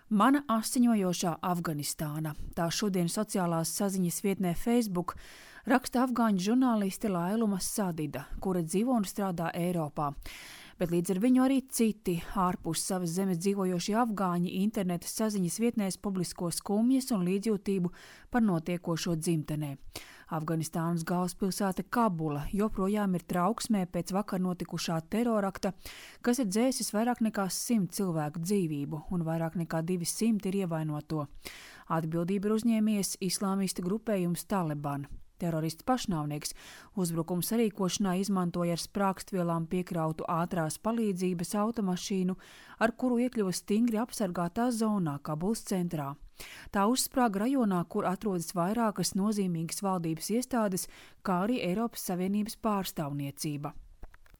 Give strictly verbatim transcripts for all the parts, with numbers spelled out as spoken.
Mana asiņojošā Afganistāna. Tā šodien sociālās saziņas vietnē Facebook raksta afgāņu žurnāliste Lailuma Sadida, kura dzīvo un strādā Eiropā. Bet līdz ar viņu arī citi ārpus savas zemes dzīvojošie afgāņi interneta saziņas vietnēs publisko skumjas un līdzjūtību par notiekošo dzimtenē. Afganistānas galvaspilsēta Kabula joprojām ir trauksmē pēc vakar notikušā terorakta, kas ir dzēsis vairāk nekā simt cilvēku dzīvību un vairāk nekā divi simti ir ievainoto. Atbildību ir uzņēmies islāmistu grupējums Taliban. Terorists pašnāvnieks uzbrukuma sarīkošanā izmantoja ar sprākstvielām piekrautu ātrās palīdzības automašīnu, ar kuru iekļuva stingri apsargātā zonā Kabulas centrā. Tā uzsprāga rajonā, kur atrodas vairākas nozīmīgas valdības iestādes, kā arī Eiropas Savienības pārstāvniecība.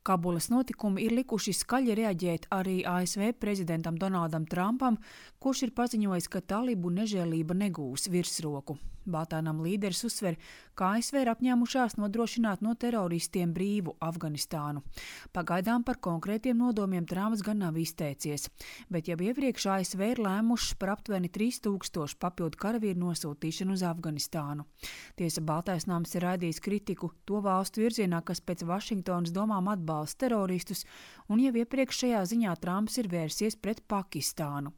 Kabulas notikumi ir likuši skaļi reaģēt arī A S V prezidentam Donaldam Trumpam, kurš ir paziņojis, ka talibu nežēlība negūs virsroku. Baltānam līderis uzsver, ka A S V ir apņēmušās nodrošināt no teroristiem brīvu Afganistānu. Pagaidām par konkrētiem nodomiem Trumps gan nav izteicies, bet jau iepriekš A S V ir lēmušas par aptuveni trīs tūkstošu papildu karavīru nosūtīšanu uz Afganistānu. Tiesa Baltais nams ir raidījis kritiku to valstu virzienā, kas pēc Vašingtonas domām atbalsta teroristus, un jau iepriekš šajā ziņā Trumps ir vērsies pret Pakistānu.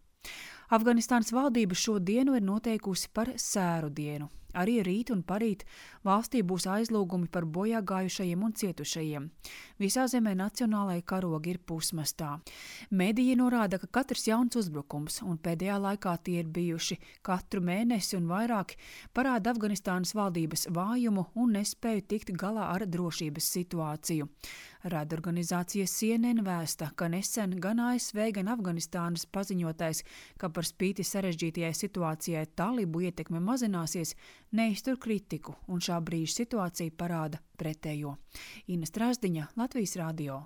Afganistānas valdība šo dienu ir noteikusi par sēru dienu. Arī rīt un parīt valstī būs aizlūgumi par bojā gājušajiem un cietušajiem. Visā zemē nacionālai karogi ir pusmastā. Mediji norāda, ka katrs jauns uzbrukums, un pēdējā laikā tie ir bijuši katru mēnesi un vairāk, parāda Afganistānas valdības vājumu un nespēju tikt galā ar drošības situāciju. Raidorganizācija C N N vēsta, ka nesen gan A S V, gan Afganistānas paziņotais, ka par spīti sarežģītajai situācijai talibu ietekme mazināsies, neiztur kritiku, un šā brīža situācija parāda pretējo. Ina Strasdiņa, Latvijas radio.